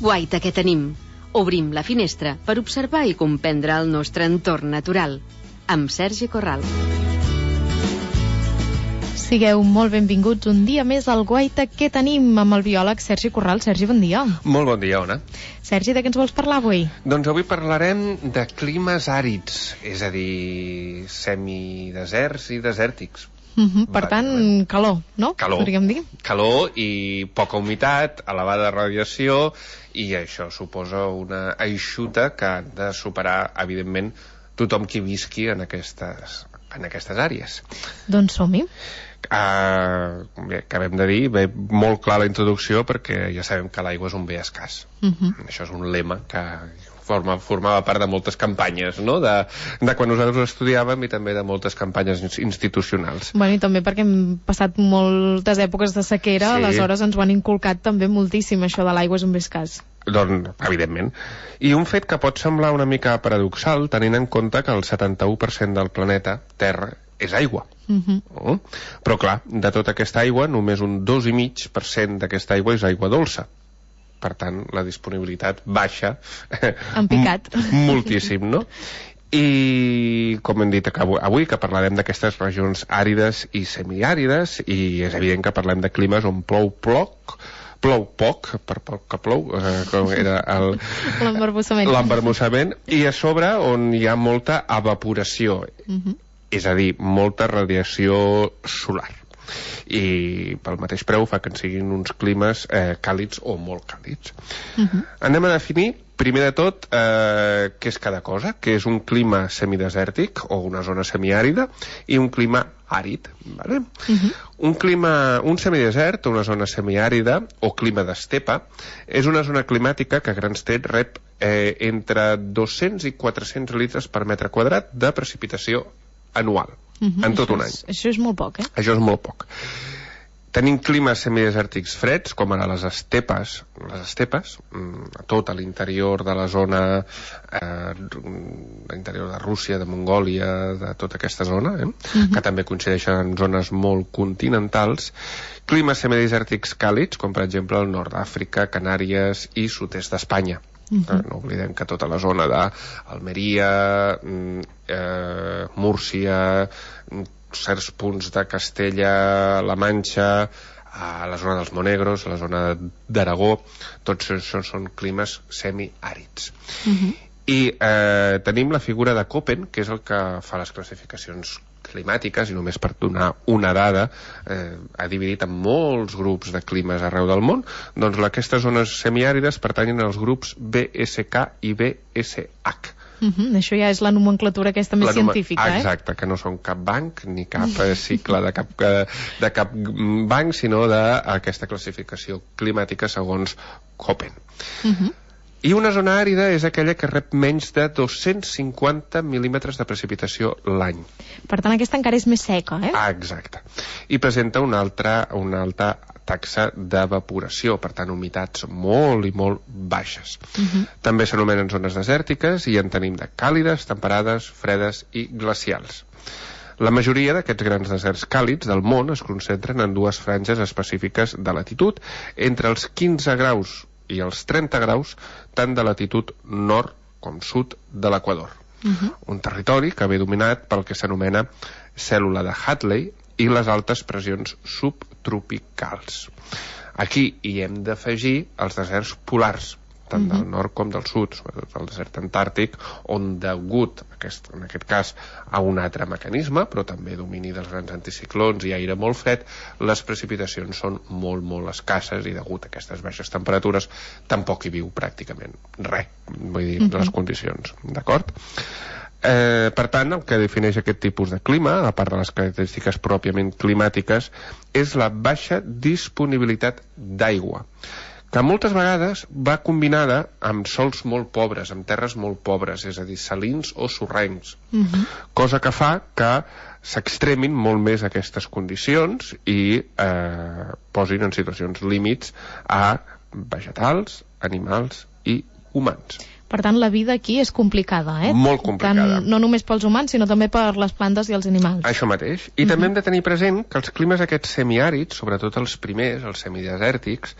Guaita que tenim. Obrim la finestra per observar i comprendre el nostre entorn natural. Amb Sergi Corral. Sigueu molt benvinguts un dia més al Guaita que tenim amb el biòleg Sergi Corral. Sergi, bon dia. Molt bon dia, Ona. Sergi, de què ens vols parlar avui? Doncs avui parlarem de climes àrids, és a dir, semideserts i desèrtics. Per tant, calor, no? Calor. Podríem dir. Calor i poca humitat, elevada radiació, i això suposa una eixuta que han de superar, evidentment, tothom qui visqui en aquestes àrees. Doncs som-hi. Bé, acabem de dir, ve molt clar la introducció perquè ja sabem que l'aigua és un bé escàs. Això és un lema que formava part de moltes campanyes, no? De quan nosaltres estudiàvem i també de moltes campanyes institucionals. Bueno, i també perquè hem passat moltes èpoques de sequera, sí. Aleshores ens ho han inculcat també moltíssim, això de l'aigua és un bé escàs. Doncs, evidentment. I un fet que pot semblar una mica paradoxal, tenint en compte que el 71% del planeta Terra és aigua. Però clar, de tota aquesta aigua, només un 2,5% d'aquesta aigua és aigua dolça. Per tant, la disponibilitat baixa en picat moltíssim, no? I com hem dit avui, que parlarem d'aquestes regions àrides i semiàrides, i és evident que parlem de climes on plou poc, per poc que plou, com era l'embarbussament, i a sobre on hi ha molta evaporació, és a dir, molta radiació solar. I pel mateix preu fa que en siguin uns climes càlids o molt càlids. Anem a definir, primer de tot, què és cada cosa, que és un clima semidesèrtic o una zona semiàrida i un clima àrid. Vale? Un semidesert o una zona semiàrida o clima d'estepa és una zona climàtica que a grans trets rep entre 200 i 400 litres per metre quadrat de precipitació anual. En tot un any. Això és molt poc, Això és molt poc. Tenim climes semidesèrtics freds, com ara les estepes, a tot l'interior de la zona, l'interior de Rússia, de Mongòlia, de tota aquesta zona, que també coincideixen en zones molt continentals. Climes semidesèrtics càlids, com per exemple el nord d'Àfrica, Canàries i sud-est d'Espanya. No oblidem que tota la zona d'Almeria, Múrcia, certs punts de Castella, la Manxa, a la zona dels Monegros, a la zona d'Aragó, tots això són climes semiàrids. I tenim la figura de Köppen, que és el que fa les classificacions climàtiques, i només per donar una dada, ha dividit en molts grups de climes arreu del món. Doncs aquestes zones semiàrides pertanyen als grups BSK i BSH. Això ja és la nomenclatura aquesta més científica, Exacte, que no són cap banc ni cap cicle de cap banc, sinó d'aquesta classificació climàtica segons Köppen. I una zona àrida és aquella que rep menys de 250 mil·límetres de precipitació l'any. Per tant, aquesta encara és més seca, Exacte. I presenta una alta taxa d'evaporació, per tant, humitats molt i molt baixes. També s'anomenen zones desèrtiques i en tenim de càlides, temperades, fredes i glacials. La majoria d'aquests grans deserts càlids del món es concentren en dues franges específiques de latitud, entre els 15 graus i els 30 graus, tant de latitud nord com sud de l'Equador. Un territori que ve dominat pel que s'anomena cèl·lula de Hadley i les altes pressions subtropicals. Aquí hi hem d'afegir els deserts polars, tant del nord com del sud, sobretot el desert antàrtic, on degut, en aquest cas, a un altre mecanisme, però també domini dels grans anticiclons i aire molt fred, les precipitacions són molt, molt escasses i degut a aquestes baixes temperatures tampoc hi viu pràcticament res, vull dir, les condicions, d'acord? Per tant, el que defineix aquest tipus de clima, a part de les característiques pròpiament climàtiques, és la baixa disponibilitat d'aigua, que moltes vegades va combinada amb sòls molt pobres, amb terres molt pobres, és a dir, salins o sorrencs, cosa que fa que s'extremin molt més aquestes condicions i posin en situacions límits a vegetals, animals i humans. Per tant, la vida aquí és complicada, Molt complicada. Tant, no només pels humans, sinó també per les plantes i els animals. Això mateix. I també hem de tenir present que els climes aquests semiàrids, sobretot els primers, els semidesèrtics,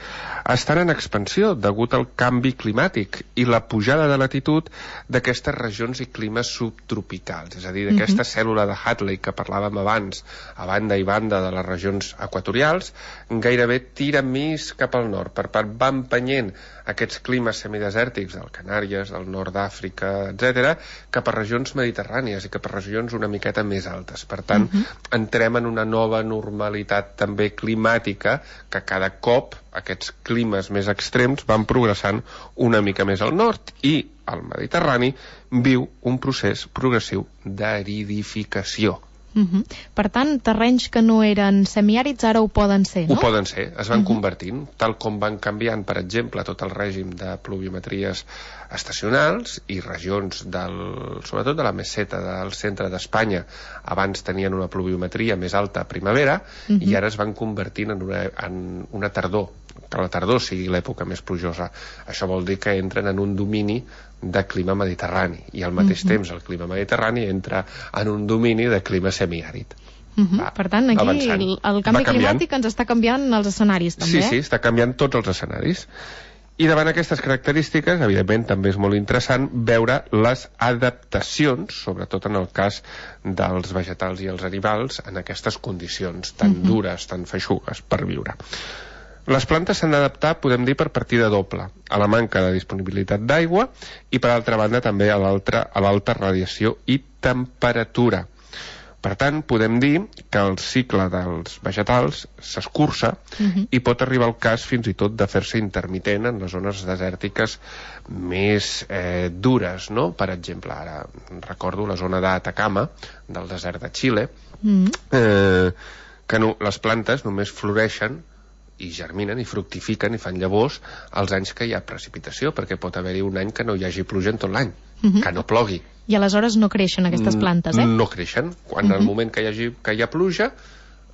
estan en expansió degut al canvi climàtic i la pujada de latitud d'aquestes regions i climes subtropicals. És a dir, d'aquesta cèl·lula de Hadley que parlàvem abans, a banda i banda de les regions equatorials, gairebé tira més cap al nord. Per part, va empenyent aquests climes semidesèrtics del Canàries, del nord d'Àfrica, etc., cap a regions mediterrànies i cap a regions una miqueta més altes. Per tant, entrem en una nova normalitat també climàtica, que cada cop aquests climes més extrems van progressant una mica més al nord, i el Mediterrani viu un procés progressiu d'aridificació. Per tant, terrenys que no eren semiàrids ara ho poden ser, no? Ho poden ser, es van convertint, tal com van canviant, per exemple, tot el règim de pluviometries estacionals i regions sobretot de la meseta del centre d'Espanya. Abans tenien una pluviometria més alta a primavera i ara es van convertint en una tardor, que la tardor sigui l'època més plujosa. Això vol dir que entren en un domini de clima mediterrani i al mateix temps el clima mediterrani entra en un domini de clima semiàrid. Per tant, aquí el canvi climàtic ens està canviant els escenaris també. Sí, està canviant tots els escenaris. I davant aquestes característiques, evidentment, també és molt interessant veure les adaptacions, sobretot en el cas dels vegetals i els animals, en aquestes condicions tan dures, tan feixugues per viure. Les plantes s'han d'adaptar, podem dir, per partida doble, a la manca de disponibilitat d'aigua i, per altra banda, també a l'alta radiació i temperatura. Per tant, podem dir que el cicle dels vegetals s'escurça i pot arribar al cas fins i tot de fer-se intermitent en les zones desèrtiques més dures, no? Per exemple, ara recordo la zona d'Atacama, del desert de Xile, que les plantes només floreixen i germinen i fructifiquen i fan llavors els anys que hi ha precipitació, perquè pot haver-hi un any que no hi hagi pluja en tot l'any, que no plogui. I aleshores no creixen aquestes plantes, No creixen. Quan en el moment que hi ha pluja,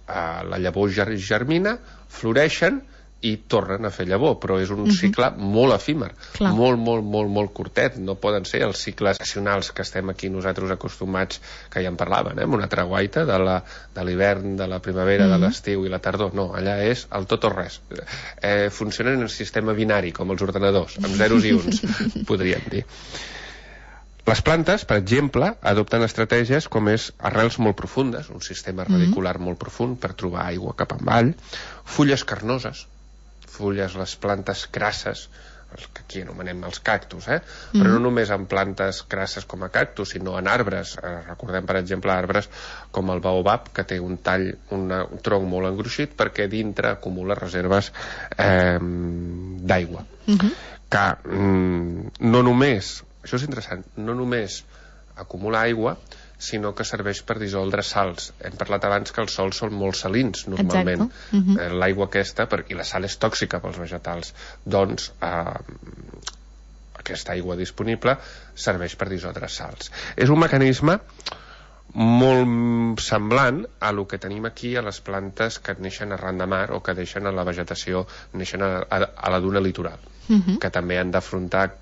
la llavor germina, floreixen i tornen a fer llavor, però és un cicle molt efímer, molt curtet. No poden ser els cicles estacionals que estem aquí nosaltres acostumats, que ja en parlaven, amb una treguaita de l'hivern, de la primavera, de l'estiu i la tardor. No, allà és el tot o res. Funcionen en el sistema binari, com els ordenadors, amb zeros i uns, podríem dir. Les plantes, per exemple, adopten estratègies com és arrels molt profundes, un sistema radicular molt profund per trobar aigua cap avall, fulles carnoses, les plantes crasses, els que aquí anomenem els cactus, però no només en plantes crasses com a cactus, sinó en arbres. Recordem, per exemple, arbres com el baobab, que té un tall, un tronc molt engruixit, perquè dintre acumula reserves d'aigua. Que no només, això és interessant, no només acumula aigua, sinó que serveix per dissoldre sals. Hem parlat abans que els sols són molt salins, normalment. L'aigua aquesta, i la sal és tòxica pels vegetals, doncs aquesta aigua disponible serveix per dissoldre sals. És un mecanisme molt semblant a lo que tenim aquí a les plantes que neixen arran de mar o que deixen a la vegetació, neixen a la duna litoral, que també han d'afrontar,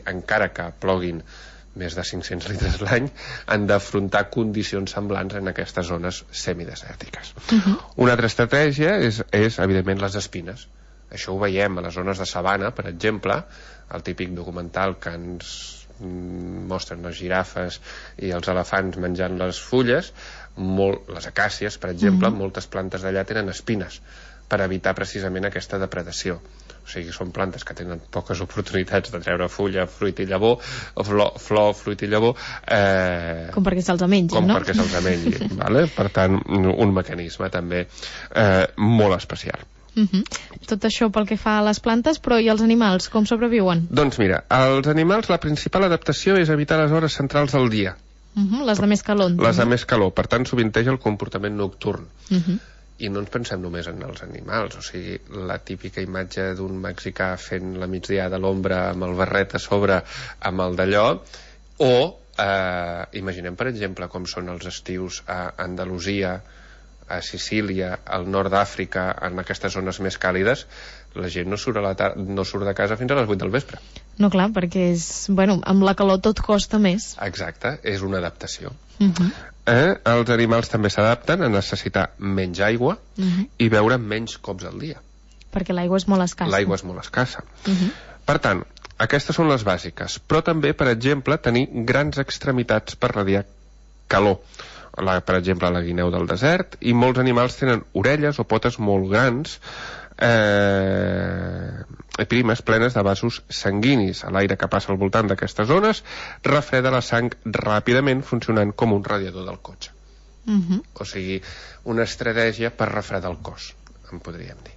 encara que ploguin més de 500 litres l'any, han d'afrontar condicions semblants en aquestes zones semidesèrtiques. Una altra estratègia és, evidentment, les espines. Això ho veiem a les zones de sabana, per exemple, el típic documental que ens mostren les girafes i els elefants menjant les fulles, les acàcies, per exemple, moltes plantes d'allà tenen espines per evitar precisament aquesta depredació. O sigui, són plantes que tenen poques oportunitats de treure fulla, fruit i llavor, o flor, fruit i llavor, com perquè se'ls mengi, no? Com perquè se'ls mengi, vale? Per tant, un mecanisme també molt especial. Tot això pel que fa a les plantes, però i els animals, com sobreviuen? Doncs mira, els animals, la principal adaptació és evitar les hores centrals del dia. Les de més calor. Les de més calor, per tant s'ovinteja el comportament nocturn. I no ens pensem només en els animals, o sigui, la típica imatge d'un mexicà fent la migdiada a l'ombra amb el barret a sobre amb el d'allò, o imaginem, per exemple, com són els estius a Andalusia, a Sicília, al nord d'Àfrica, en aquestes zones més càlides, la gent no surt de casa fins a les 8 del vespre. No, clar, perquè amb la calor tot costa més. Exacte, és una adaptació. Els animals també s'adapten a necessitar menys aigua i beure menys cops al dia. Perquè l'aigua és molt escassa. L'aigua és molt escassa. Per tant, aquestes són les bàsiques, però també, per exemple, tenir grans extremitats per radiar calor. Per exemple, la guineu del desert, i molts animals tenen orelles o potes molt grans, primes plenes de vasos sanguinis. L'aire que passa al voltant d'aquestes zones refreda la sang ràpidament, funcionant com un radiador del cotxe. O sigui, una estratègia per refredar el cos, en podríem dir.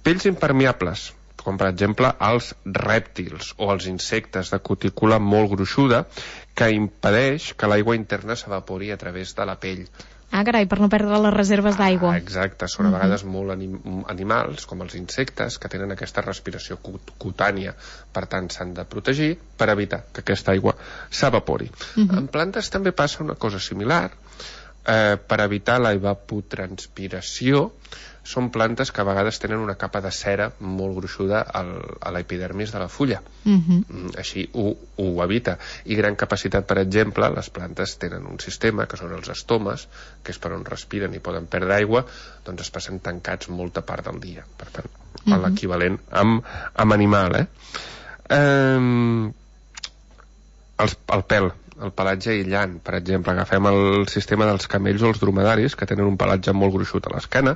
Pells impermeables, com per exemple els rèptils o els insectes de cutícula molt gruixuda, que impedeix que l'aigua interna s'evapori a través de la pell. Ah, carai, per no perdre les reserves d'aigua. Exacte, són a vegades molt animals, com els insectes, que tenen aquesta respiració cutània, per tant s'han de protegir per evitar que aquesta aigua s'evapori. En plantes també passa una cosa similar. Per evitar la evapotranspiració, són plantes que a vegades tenen una capa de cera molt gruixuda a l'epidermis de la fulla. Així ho evita. I gran capacitat, per exemple, les plantes tenen un sistema, que són els estomes, que és per on respiren i poden perdre aigua, doncs es passen tancats molta part del dia. Per tant, l'equivalent amb animal. El pèl, el pelatge aïllant, per exemple, agafem el sistema dels camells o els dromedaris, que tenen un pelatge molt gruixut a l'esquena,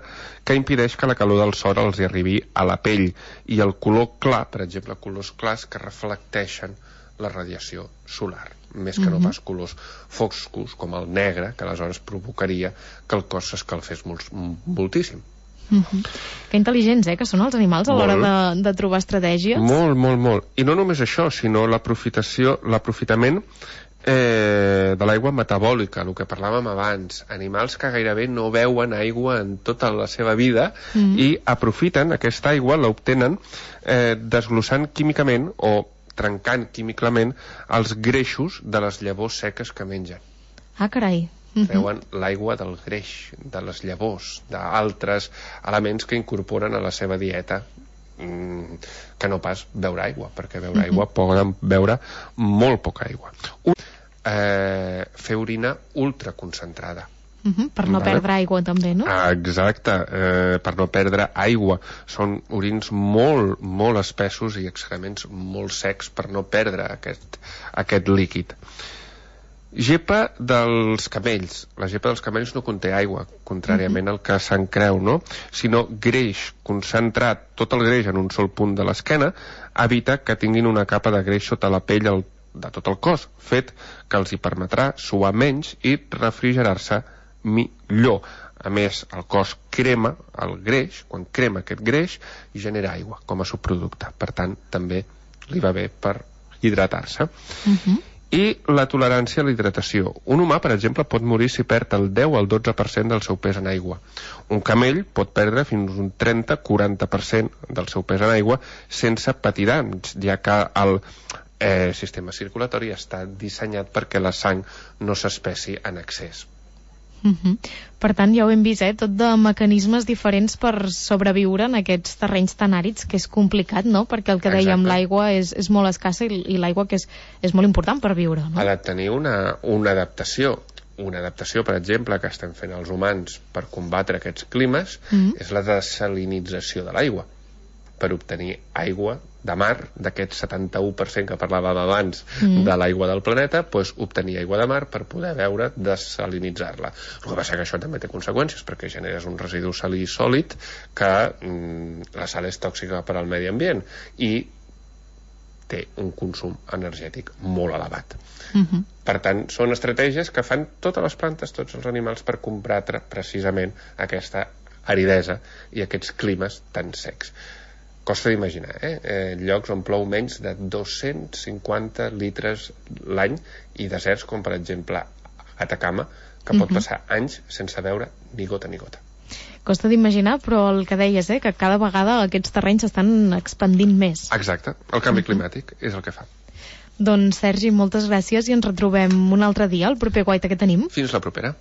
que impedeix que la calor del sol els hi arribi a la pell, i el color clar, per exemple, colors clars que reflecteixen la radiació solar, més que no pas colors foscos, com el negre, que aleshores provocaria que el cos s'escalfés moltíssim. Que intel·ligents, que són els animals a l'hora de trobar estratègies. Molt. I no només això, sinó l'aprofitament de l'aigua metabòlica, el que parlàvem abans. Animals que gairebé no beuen aigua en tota la seva vida i aprofiten aquesta aigua, l'obtenen desglossant químicament o trencant químicament els greixos de les llavors seques que mengen. Ah, carai. Treuen l'aigua del greix, de les llavors, d'altres elements que incorporen a la seva dieta, que no pas beure aigua, perquè beure aigua poden beure molt poca aigua. Fer orina ultraconcentrada. Per no perdre aigua també, no? Exacte, per no perdre aigua. Són orins molt espessos i excrements molt secs per no perdre aquest líquid. Gepa dels camells. La gepa dels camells no conté aigua, contràriament al que se'n creu, no? Sinó greix concentrat, tot el greix en un sol punt de l'esquena, evita que tinguin una capa de greix sota la pell de tot el cos, fet que els hi permetrà suar menys i refrigerar-se millor. A més, el cos crema el greix, quan crema aquest greix, i genera aigua com a subproducte. Per tant, també li va bé per hidratar-se. I la tolerància a la hidratació. Un humà, per exemple, pot morir si perd el 10 al 12% del seu pes en aigua. Un camell pot perdre fins un 30-40% del seu pes en aigua sense patir danys, ja que el sistema circulatori està dissenyat perquè la sang no s'espessi en excés. Per tant, ja ho hem vist, tot de mecanismes diferents per sobreviure en aquests terrenys tan àrids, que és complicat, no? Perquè el que dèiem, l'aigua és molt escassa i l'aigua que és molt important per viure, no? Ha de tenir una adaptació. Una adaptació, per exemple, que estem fent els humans per combatre aquests climes és la desalinització de l'aigua, per obtenir aigua de mar, d'aquest 71% que parlàvem abans de l'aigua del planeta, doncs obtenir aigua de mar per poder beure, desalinitzar-la. El que passa que això també té conseqüències, perquè generes un residu salí sòlid que la sal és tòxica per al medi ambient i té un consum energètic molt elevat. Per tant, són estratègies que fan totes les plantes, tots els animals, per combatre precisament aquesta aridesa i aquests climes tan secs. Costa d'imaginar, llocs on plou menys de 250 litres l'any i deserts com, per exemple, Atacama, que pot passar anys sense veure ni gota ni gota. Costa d'imaginar, però el que deies, que cada vegada aquests terrenys s'estan expandint més. Exacte, el canvi climàtic és el que fa. Doncs, Sergi, moltes gràcies i ens retrobem un altre dia, el proper Guaita que tenim. Fins la propera.